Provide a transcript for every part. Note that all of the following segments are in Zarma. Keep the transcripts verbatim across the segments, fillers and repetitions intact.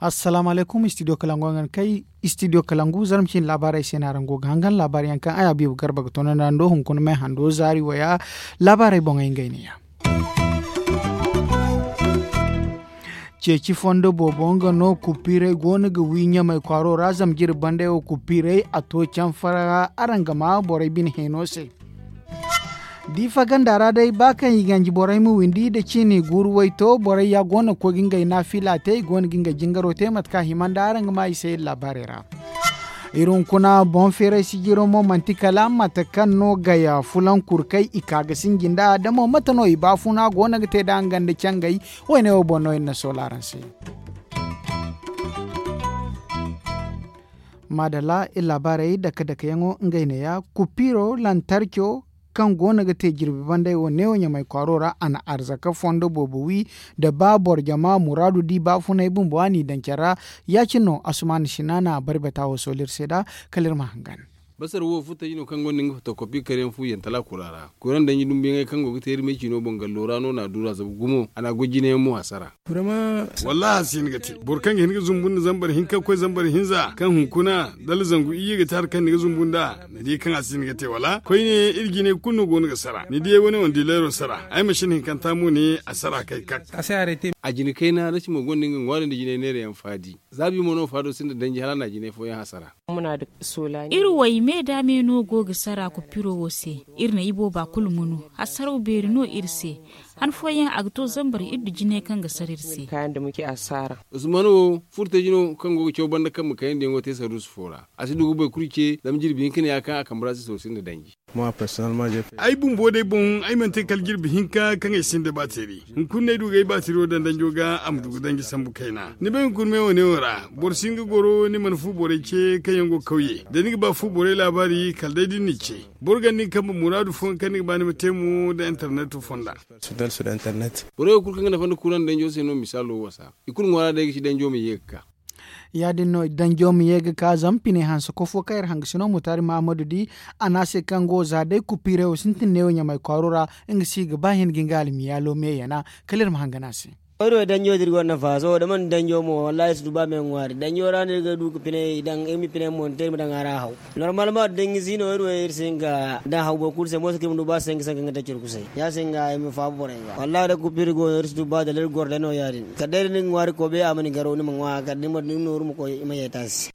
Assalaamu alaykum, istidiyo kalangu yaŋ ga ni kay. Istidiyo kalangu zarma cine laabaarey se no araŋ go ga hangan laabaari yaŋ kaŋ ay habiibu garba ga toonandi araŋ do hunkuna me hando zaari waya. Laabaarey boŋey ngey ne ya. Ceeci fondo boobo nga no kupiirey go no ga wi ɲamay kwaaro ra zama jirbi bandey wo kupiirey a to canfara araŋ ga ma borey bine heeno se. Diifa ganda ra day ba kaŋ i ganji borey ma windi nda ciini guuru wayto borey ya go no ga koy ga ngey naafila te i go no ga ngey jingaro te mate kaŋ a hima nda araŋ ga ma i se iri laabaarey ra. Iri hunkuna boŋ feeray sijiro mo manti kala mate kaŋ no gaya fulaŋ kurkay i ka ga sinji nda da mo mate no i baafuna go no ga te nda nga nda cangay. Wayne wo boŋ no iri na soola araŋ se. Maadalla iri laabaarey dake dake yaŋo ngey neeya kupiiro lantarco kaŋ go no ga te jirbi banday wo neewo ɲamay kwaaro ra a na arzaka fondo boobo wi. Da ba boro jama muraadu di baafunay bumbo a n'i daŋ care ra. Ya- cine no asumaana sina na bari bata wo sooli iri se nd'a. Kala iri ma hangan. Basar wo furtaji no kaŋ gonda nga fotokopi kare yaŋ fu yantala kura ra kuraŋ danji dumbuyaŋey kaŋ go ga te iri me ciino boŋ gallo ra no na a duura zabu gumo a na a goy jine yaŋ mo hasara. Wallaahi a si hin ga te boro kaŋ ga hin ga zumbu nda zambar hinka ga koy zambar hinza kaŋ hunkuna dala zangu iyye ga te hari kaŋ ni ga zumbu nd'a. Ni di kaŋ a si hin ga te wala koyne iri jinay kulu no go no ga sara ni diyay wane wane dileero sara ay ma sina hinkanta mo ne a sara kay kak. A jina kayna rasi mo gonda nga ŋwaari nda jinay neera yaŋ faadi. Zaabi mo no faado sinda danji hala a na jinay fooyaŋ hasara. Iri way me da me no go ga sara kupiro wo se. Iri na ibooba kulu munu hasaraw beeri no iri se. Han fooyaŋ a ga to zambar iri du jinay kaŋ ga sara iri se. Usman wo furtaji no kaŋ go ga caw banda kambe kayandi yaŋo te saruusu fo ra. A si du ga boro kulu ce zama jirbi hinka ne ya kaŋ a kambe ra si soosi nda danji. Ay bumbo day boŋ ay mana te kala jirbi hinka kaŋ ay sinda baatiri. Hunkuna no ay du ga ay baatiro daŋ danjo ga a ma du ga danji sambu kayna ni bay hunkuna me wane wo ra. Boro si hin ga goro ni mana fu borey ce kaŋ yaŋ go ga kawye da ni ga ba fu borey laabaari kala day da ni n'i ce. Boro ganda ni kambe muraadu fooyaŋ kaŋ ni ga ba ni ma te mo nda interneto fonda. Borey wo kulu kaŋ ga nafa nda kuraŋ danjo se no misaalo wasa i kulu ŋwaara day ga ci danjo ma ye ga ka. Ya- din no danjo ma ye ga ka zama pine hanse kofo kaŋ iri hangasino mutaari mahamadu di. A ne a se kaŋ go za day kupiirey wo sintin neewo ɲamay kwaaro ra. Nga si ga ba hin ga nga almiyaalo me yana. Kala iri ma hangan a se. Wayro danjo da iri gonda nafa sohõ da mana danjo mo wallaahi iri si du ba me ŋwaari danjo ra no iri ga du ga piney daŋ iri ma piney monte iri ma daŋ a ra haw. Normal ma da danji si no iri wo iri si hin ga daŋ haw boro kulu se mooso kaŋ iri ma du ba sanka sanka nga te curkusay ya- se nga ay ma faabu borey ga wallaahi da kupiiri go no iri si du ba dala iri goro day no ya- din kala day da ni ga ŋwaari koobay a ma ni garo ni ma ŋwa kala da ni ma nooru ma koy i ma yeeta se.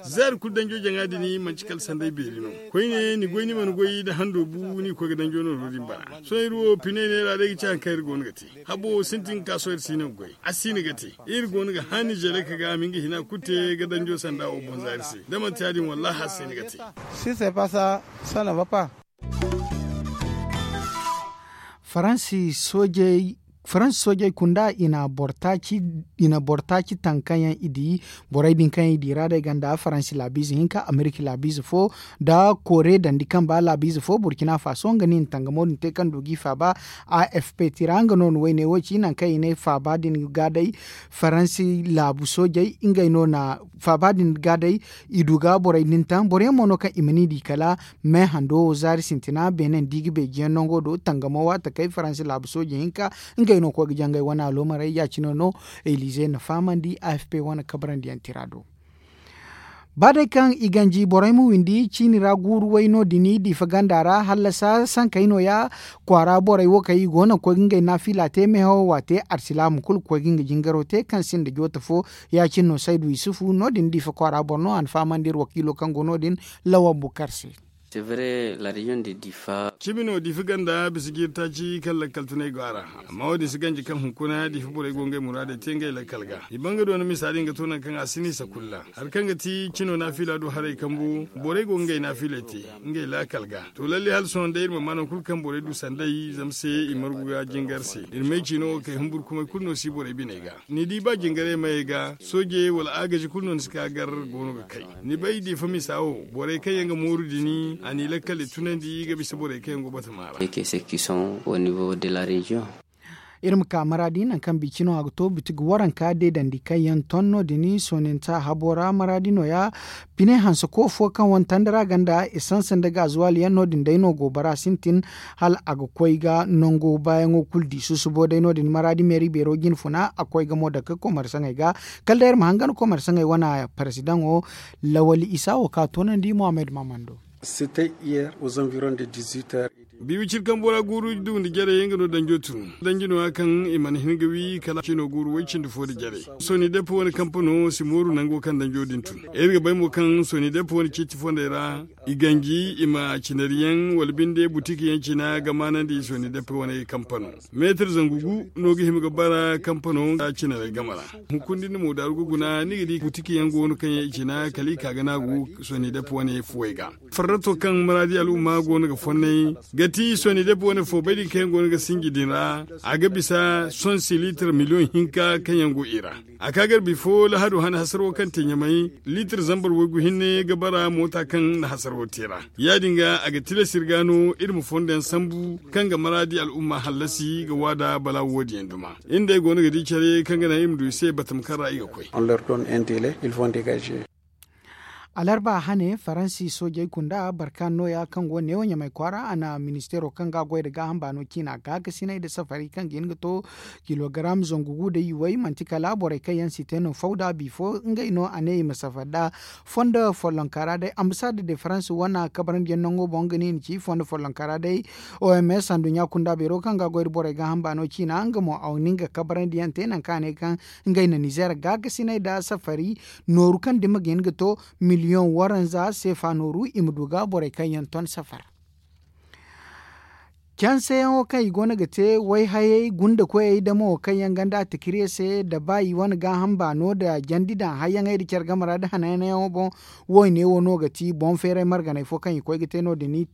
Zeeri kulu danjo jaŋa din manti kala sanday beeri no. Koyne ni goy ni mana goy da hando bu ni ga koy ga danjo nooro din bana. Sohõ iri wo piney neera day ga ci hari kaŋ iri go no ga te. Habo sintin ga ka sohõ iri si no ga goy a si no ga te. Iri go no ga haani jelek ga a ma nga hina kulu te ga danjo sanda wo boŋ za iri se da manti ya- din wallaahi a si no ga te. Si se pasa. Sana vapa. Faransi soojey kunda i na boro taaci taŋ kaŋ yaŋ i di. Borey din kaŋ yaŋ i di ra day ganda faransi laabiize hinka amerika laabiize fo nda koore dandi kamba laabiize fo burkina faso nga no i na tangamo din te kaŋ du g'i faaba. A f p tira nga no ni wayne wo ci nangu kaŋ i ne faaba din ga day faransi laabu soojey ngey no na faaba din ga day. I du ga borey din taŋ boro yaŋ mo no kaŋ i ma ni di kala me hando wo zaari sintina beene nda i ga beejiyaŋ nango do tangamo waati kay faransi laabu sooji hinka. Ngey no koy ga jangay wane aloomarey ya- cine no elize na fahamandi a f p wane kabrandi yaŋ tira do. Ba day kaŋ i ganji borey ma windi ciini ra guuru way no- din diifa ganda ra hallasa sankey no- ya kwaara borey wo kaŋ i go no ga koy ga ngey naafila te meehawo waate arsilaamu kulu ga koy ga nga jingaro te kaŋ sinda joote fo. Ya- cine no saydu yusufu no- din diifa kwaara boro no a na fahamandi iri wakiilo kaŋ go no- din lawan bukar se. Cimi no diifa ganda bisa jiiri taaci kaŋ lakkal tunay go a ra. Amma wo- din si ganji kaŋ hunkuna diifa borey go ngey muraadey te ngey lakkal ga i ban ga doona misa din ga to nangu kaŋ a si no i sakulla. Hari kaŋ ga ti cino naafila du haray kambu borey go ga ngey naafiley te ngey laakal ga. To lalle hala sohõ day iri mana maa nangu kulu kaŋ borey du sanday zama se i margu ga jingar se. Iri may ciino wo kay humburkumay kulu no si borey biney ga. Ni di ba jingarey mayey ga soojey wala agaji kulu no ni si ka gar goono ga kay. Ni bay diifa misa wo borey kaŋ yaŋ ga mooru dini a n'i lakkal i tunandi ga bisa borey kaŋ yaŋ go batama ra. Keke se ki sohõ au niveau de la région. Iri ma ka maraadi nangu kaŋ biicino a ga to bitigi waranka deedandi kaŋ yaŋ ton no- din sooninta habo ra maraadi nooya. Bine hanse koofo kaŋ wane tandara ganda esanse nda gaazuwaali yaŋ no- din day no goobara sintin hala a ga koy ga nango baayaŋo kulu di susubo day no- din maraadi meeri beero jinfuna a koy ga mo dake komarsaŋey ga. Kala day iri ma hangan komarsaŋey wane paresidaŋo lawali isa wo kaŋ a toonandi mohammed maamando. Bi wiciri kambo ra guuru du nda jarey nga no danjo tun danji no- ya kaŋ i mana hin ga wi kala cino guuru way cindi fo nda jarey. Sooni deppe wane kampano si mooru nango kaŋ danjo din tun. Iri ga bay mo kaŋ sooni deppe wane ciiti fondey ra i ganji i ma cinariyaŋ wala binde butiki yaŋ cina ga maanandi sooni deppe wane kampano. Meetir zangu gu no ga hima ga bara kampano cinarey game ra. Hunkuna din mo daaru ga guna ni ga di butiki yaŋ go no kaŋ yaŋ i cina kala i ka ga naagu sooni deppe wane fuwey ga. Farrato kaŋ maraadi al'umma go no ga fonnay ga ti sooni deppe wane fo bay din kaŋ yaŋ go no ga sinji din ra. A ga bisa sonsi liitir miliyoŋ hinka kaŋ yaŋ go i ra. A ka garbi fo lahadu hane hasaro kaŋ te ɲamay liitir zambar waygu hinne ga bara moota kaŋ na hasaro te ra. Ya- din ga a ga tilas iri ga no iri ma fondo yaŋ sambu kaŋ ga maraadi al'umma hallasi ga waada balaawo wo- din yaŋ duma. Iri nda ay go no ga di care kaŋ ga naŋ iri ma du i se batama kaŋ ra i ga koy. Alarba hane faransi soojey kunda barkan nooya kaŋ go neewo ɲamay kwaara a na ministeero kaŋ ga a goy nda gaaham baano ciina gaakasinay nda safari kaŋ ga hin ga to kilogaram zangu gu nda yuwey manti kala borey kaŋ yaŋ si te no fawda bifo ngey no a ne i ma safari nd'a. Fondo follonka ra day ambasaada de faransi wane kabarandiyaŋ nango boŋ nga ne i na ci fondo follonka ra day. Oms handuɲɲa kunda beero kaŋ ga a goy nda borey gaaham baano ciina nga mo a na nga kabarandiyaŋ te nangu kaŋ a ne kaŋ ngey na nizeer gaakasinay nda safari nooru kaŋ dima ga hin ga to miliyoŋ waranza seefa nooru i ma du ga borey kaŋ yaŋ ton safara. Canseyaŋo kaŋ i go no ga te wayhayey gunda koyey damo kaŋ yaŋ ganda tikirye se nda ba i wane gaaham baano nda jandi daŋ hayyaŋey nda care game ra nda hananyaŋo boŋ. Wo- ne wo no ga ti boŋ feeray marganey fo kaŋ i koy ga te no- din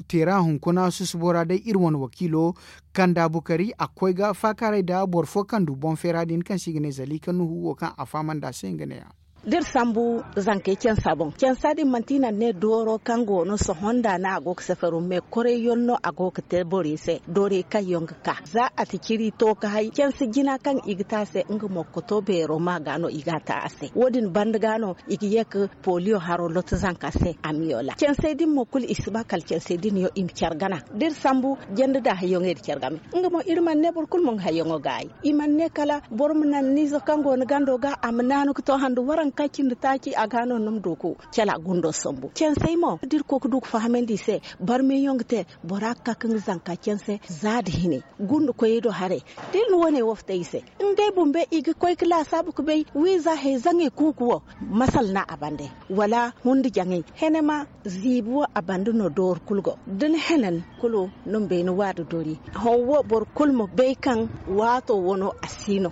teera hunkuna susubo ra day iri wane wakiilo kanda bukari a ga koy ga faakaaray nda boro fo kaŋ du boŋ feera din kaŋ se i ga ne zalika nuhu wo kaŋ a fahamandi a se nga ne- ya. Da iri sambu zankey cansa boŋ cansa din manti i na ne dooro kaŋ go no sohõ nda no a go ga safaro me koray yaŋ no a go ga te borey se doorey kaŋ yaŋ ga ka za a ti ciri to ga hay cansa jina kaŋ i ga te a se nga mo ga to beero ma ga no i ga a te a se wo- din banda ga no i ga ye ga poliyo haro lotti zanka se a ma yola cansey din mo kulu i si ba kala cansey din yaŋ i ma care gana da iri sambu janda da hayyaŋey da care game. Nga mo iri mana ne boro kulu ma nga hayyaŋo gaayi i mana ne kala boro ma naŋ niize kaŋ go ni gando ga a ma naanu ga to handu waranka cindi taaci a ga no ni ma du ga cala gundo sambu cansey mo da iri koy ga du ga fahamandi i se barmeyaŋ ga te bora ga ka ga nga zanka canse za nda hine gunda koyey do haray da iri na wane wo fitay i se ngey bumbey i ga koy ga laasaabu ga bay wiiza hay zaŋey kuuku wo masal no a bande wala hundi jaŋay hene ma ziibi wo a bande no doori kulu go da ni henen kulu no ma bay ni waadu doori hõ wo boro kulu ma bay kaŋ waato wo no a si no.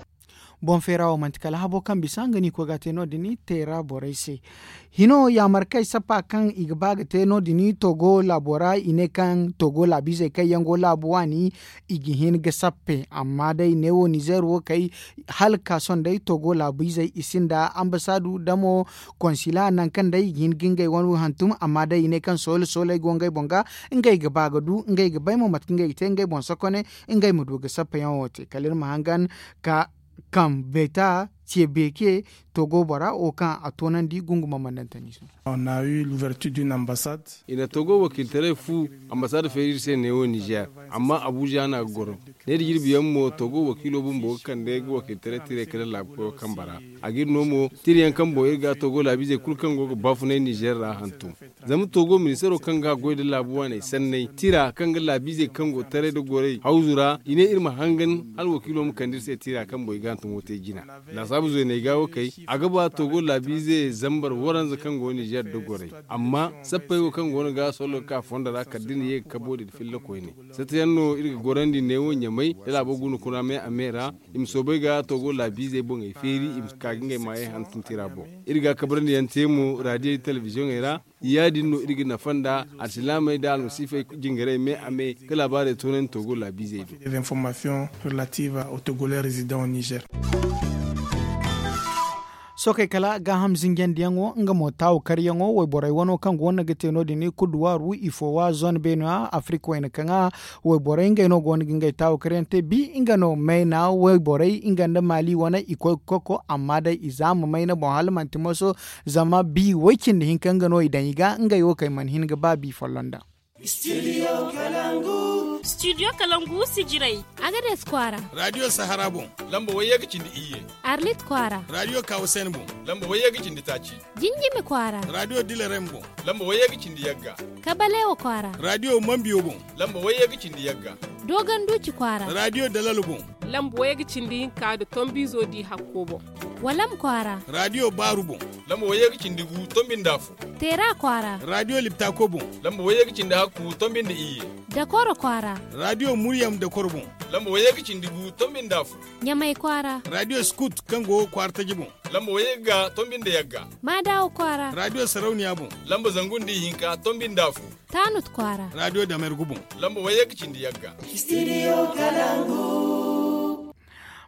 Boŋ feera wo manti kala habo kaŋ bisa nga no i koy ga a te no- din teera borey se. Hino yaamarkey sappa kaŋ i ga ba ga te no- din togo laabo ra i ne kaŋ togo laabiizey kaŋ yaŋ go laabu waani i ga hin ga sappe amma day neewo nizeer wo kay hala ga ka sohõ day togo laabiizey i sinda ambasaadu damo konsila nangu kaŋ day i ga hin ga ngey wane hantum amma day i ne kaŋ soole sooley go ngey boŋ ga ngey ga ba ga du ngey ga bay mo mate kaŋ ngey ga te ngey boŋ sokone ngey ma du ga sappeyaŋo te kala iri ma hangan ka kaŋ beeta ce beeke togo bora wo kaŋ a toonandi gunguma mandantani se. I na togo wakiiltaray fu ambasaada feeri iri se neewo nizeer amma abuuza no a ga goro ne da jirbi yaŋ mo togo wakiilo bumbo ga kande ga wakiiltaray tiray kala laabu koyo kambe ra a ga iri no mo tira yaŋ kambo iri ga togo laabiizey kulu kaŋ go ga baafunay nizeer ra hantum. Zama togo ministaro kaŋ ga goy nda laabu waaney sanney tira kaŋ ga laabiizey kaŋ go taray nda gorey hawzu ra i ne iri ma hangan hala wakiilo ma kande iri se tira kaŋ boy ga hantumo te jina. Laasaabu zeeney ga wo kay a ga ba togo laabiize zambar waranza kaŋ go nizeer nda gorey amma sappey wo kaŋ go no ga solo ga ka fondo ra kala da ni ye ga kabo din filla koyne. Satta yaŋ no iri ga gorandi neewo ɲamay da laabo guna kuna me a me ra i ma soobay ga togo laabiizey boŋey feeri i ma ka ga ngey maayey hantum tira boŋ. Iri ga kabrandi yaŋ te mo raadiyey telebiziyoŋey ra ya- din no iri ga nafa nda alsilaamey nda almasiifey jingarey me a me ga laabaarey toonandi togo laabiizey do. Tokey kala gaaham zinjandiyaŋo nga mo taawu karyaŋo wayborey wano kaŋ go no ga te no- din kuduwaaru ifo wa zone beene ra afirik wayna kaŋ a wayborey ngey no go no ga ngey taawu karyaŋ te bi nga no mayna wayborey nga nda maali wane i koy ga koko amma day i za ma mayna boŋ hala manti moso. Zama bi way cindi hinka nga no i daŋ i ga ngey wo kaŋ i mana hin ga ba bi folloŋ daŋ. Studio kalangu sijirey. Agades kwaara. Radiyo sahara boŋ. Lamba wayye ga cindi iyye. Arlit kwaara. Radiyo kawasen boŋ. Lamba wayye ga cindi taaci. Jinjimi kwaara. Radiyo dilarem boŋ. Lamba wayye ga cindi yagga. Kabalewa kwaara. Radiyo mambiyo boŋ. Lamba wayye ga cindi yagga. Dogon duuci kwaara. Radiyo dalal boŋ. Lamba wayye ga cindi hinka nda tombiizo di hakko boŋ. Walam kwaara. Radiyo baaru boŋ. Lamba wayye ga cindi gu tombi nda afo. Teera kwaara. Radiyo liptako boŋ. Lamba wayye ga cindi hakku tombi nda iyye. Dakoro kwaara. Radiyo muryam dakoro boŋ. Lamba wayye ga cindi gu tombi nda afo. Ɲamay kwaara. Radiyo skut kaŋ go kwaara taji boŋ. Lamba wayye ga tombi nda yagga. Maadawa kwaara. Radiyo sarauniya boŋ. Lamba zangu nda ihinka tombi nda afo. Taanut kwaara. Radiyo damergu boŋ. Lamba wayye ga cindi yagga. Studio kalangu.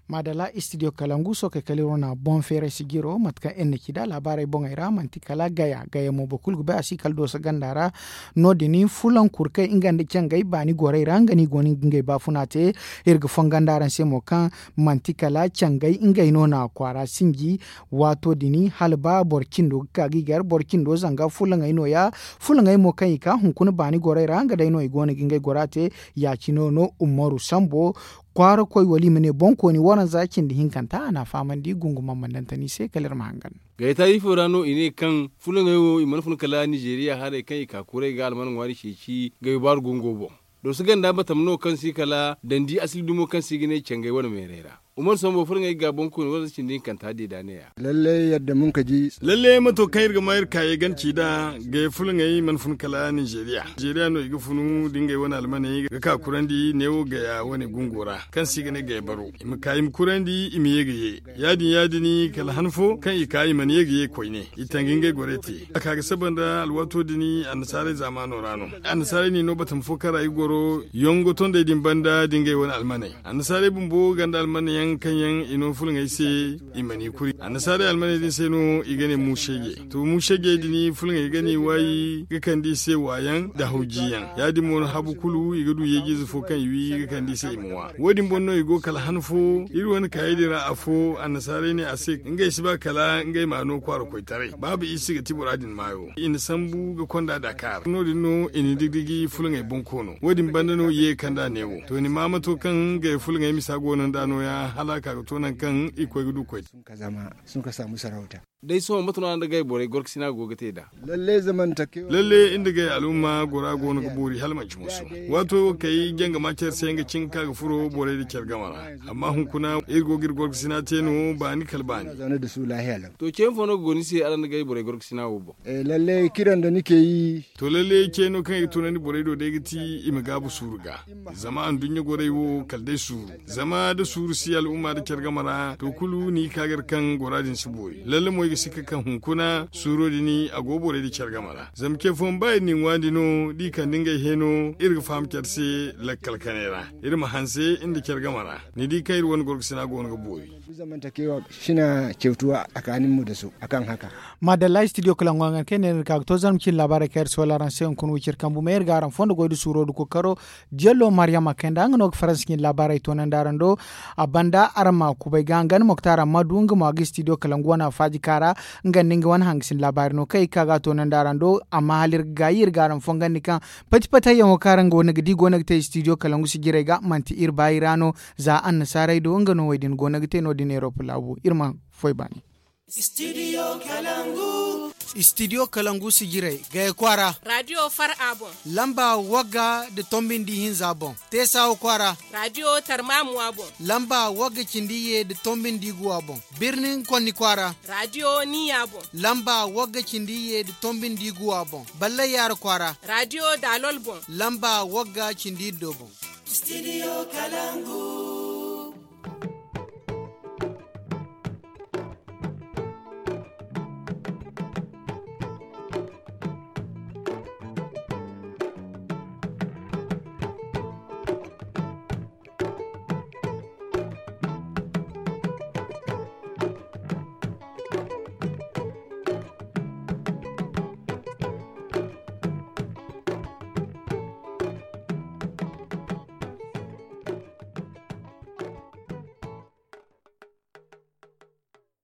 Maadala studio kalangu sookey kala iri wane boŋ feeray sijiro mate kaŋ iri na ci nd'a laabaarey boŋey ra manti kala gaya gaya mo boro kulu ga bay a si kala dooso ganda ra. No- din fulaŋ kuru kaŋ nga nda cangey baani gorey ra nga no i go no ga ngey baafuna te. Iri ga fongo nda araŋ se mo kaŋ manti kala cangey ngey no na kwaara sinji. Waato din hala ba boro cindo ga ka ga i gar boro cindo zanga fulaŋey no- ya. Fulaŋey mo kaŋ i ka hunkuna baani gorey ra nga day no i go no ga ngey gora te. Ya- cine no umaru sambo kwaara koy wala i ma ne boŋkooni waranza cindi hinkanta a na a fahamandi gungumaŋ ma nantani se kala iri ma hangan. Gayta ifo ra no i ne kaŋ fulaŋey wo i mana fun kala nizeeriya haray kaŋ i ka kuray ga alman ŋwaari ceeci gayo baaru gungo boŋ. Dooso ganda batam no kaŋ si kala dandi asili dumo kaŋ se i ga ne cangey wane meeray ra. Umaru sambo fulaŋey ga boŋkooni waranza cindi hinkanta deeda ne- ya. Lalle yadda mun ka ji. Lalle mato kaŋ iri ga ma iri kaayey gana ci nd'a gaya fulaŋey mana fun kala nizeeriya nizeeriya no i ga funu da ngey wane almaney ga ka kurandi neewo gaya wane gungo ra kaŋ se i ga ne gaya baro i ma ka i ma kurandi i ma ye ga ye. Ya- din ya- din kala han fo kaŋ i ka i mana ye ga ye koyne i tangi ngey gorey te a ka ga saba nda alwaato din annasaarey zaamaano ra no. Annasaarey n'i no batama fo kaŋ ra i goro yongo tondey din banda da ngey wane almaney. Annasaarey bumbo ganda almaney yaŋ kaŋ yaŋ i no fulaŋey se i mana i kuri annasaarey almaney din se no i ga ne muuseeje. To muuseejey din fulaŋey ga n'i waayi ga kande i se waayaŋ nda hawjiyaŋ. Ya- din mo no habu kulu i ga du yeejiize fo kaŋ i wi ga kande i se i ma waa wo- din boŋ no i go kala han fo iri wane kaayey din ra afo annasaarey ne a se ngey si ba kala ngey ma no kwaara koytaray baaba i si ga ti bora din maayo i na sambu ga konda dakar no- din no i na digi digi fulaŋey boŋ koono wo- din banda no i ye ga kand'a neewo to ni ma mato kaŋ ngey fulaŋey misa go no nd'a nooya hala a ka ga to nangu kaŋ i koy ga du koy. Day sohõ mate no araŋ nda gay borey gorkasina go ga te nd'a? Lalle iri nda gay al'umma gora go no ga boori hala manci musu. Waato wo kay janga ma care se nga cin ga ka ga furo borey nda care game ra. Amma hunkuna iri go ga iri gorkasina te no baani kala baani. To ce fo no ga go ni se araŋ nda gay borey gorkasina wo boŋ? To lalle ce no kaŋ i ga tunandi borey do day ga ti i ma gaabu suuru ga. Zama anduɲɲa gorey wo kala day suuru. Zama da suuru si al'umma da care game ra to kulu ni ga ka ga iri kaŋ gora din si boori lalle mo i ga sikka kaŋ hunkuna suuro din a go borey da care game ra zama ce fooyaŋ ba iri n'i ŋwaandi no da i kande ngey heeno iri ga faham care se lakkal kanay ra. Iri ma hanse nda care game ra ni di kaŋ iri wane gorgasina go no ga boori. Maadalla studio kala ŋwa ŋan kaŋ ay ne iri ga ka ga to zarma cine laabaarey kaŋ iri si wala araŋ se hunkuna wiciri kambu may iri ga araŋ fondo goy nda suuro nda kookaro. Jello mariyama kayna nga no ga faransa cine laabaarey toonandi araŋ do. A banda araŋ ma kubay ga hangan moktar ammadu nga mo a ga studio kala nga wane afaaji kaara. Nga nda nga wane hangasin laabaari no kaŋ i ga ka ga a toonandi araŋ do. Amma hala iri ga gaayi iri ga araŋ fongandi kaŋ pati patayyaŋo kaŋ araŋ go no ga di go no ga te studio kala nga sijirey ga manti iri baayi ra no. Za annasaarey do nga no wo- din go no ga te no- din erop laabu iri ma foy baani. Studio kalangu sijirey gaya kwaara. Radiyo far'a boŋ. Lamba wagga nda tombi nda ihinza boŋ. Teesawa kwaara. Radiyo tarmamuwa boŋ. Lamba wagga cindi iyye nda tombi nda iguwa boŋ. Birnin konni kwaara. Radiyo niya boŋ. Lamba wagga cindi iyye nda tombi nda iguwa boŋ. Ballay yaara kwaara. Radiyo daalol boŋ. Lamba wagga cindi iddo boŋ. Studio kalangu.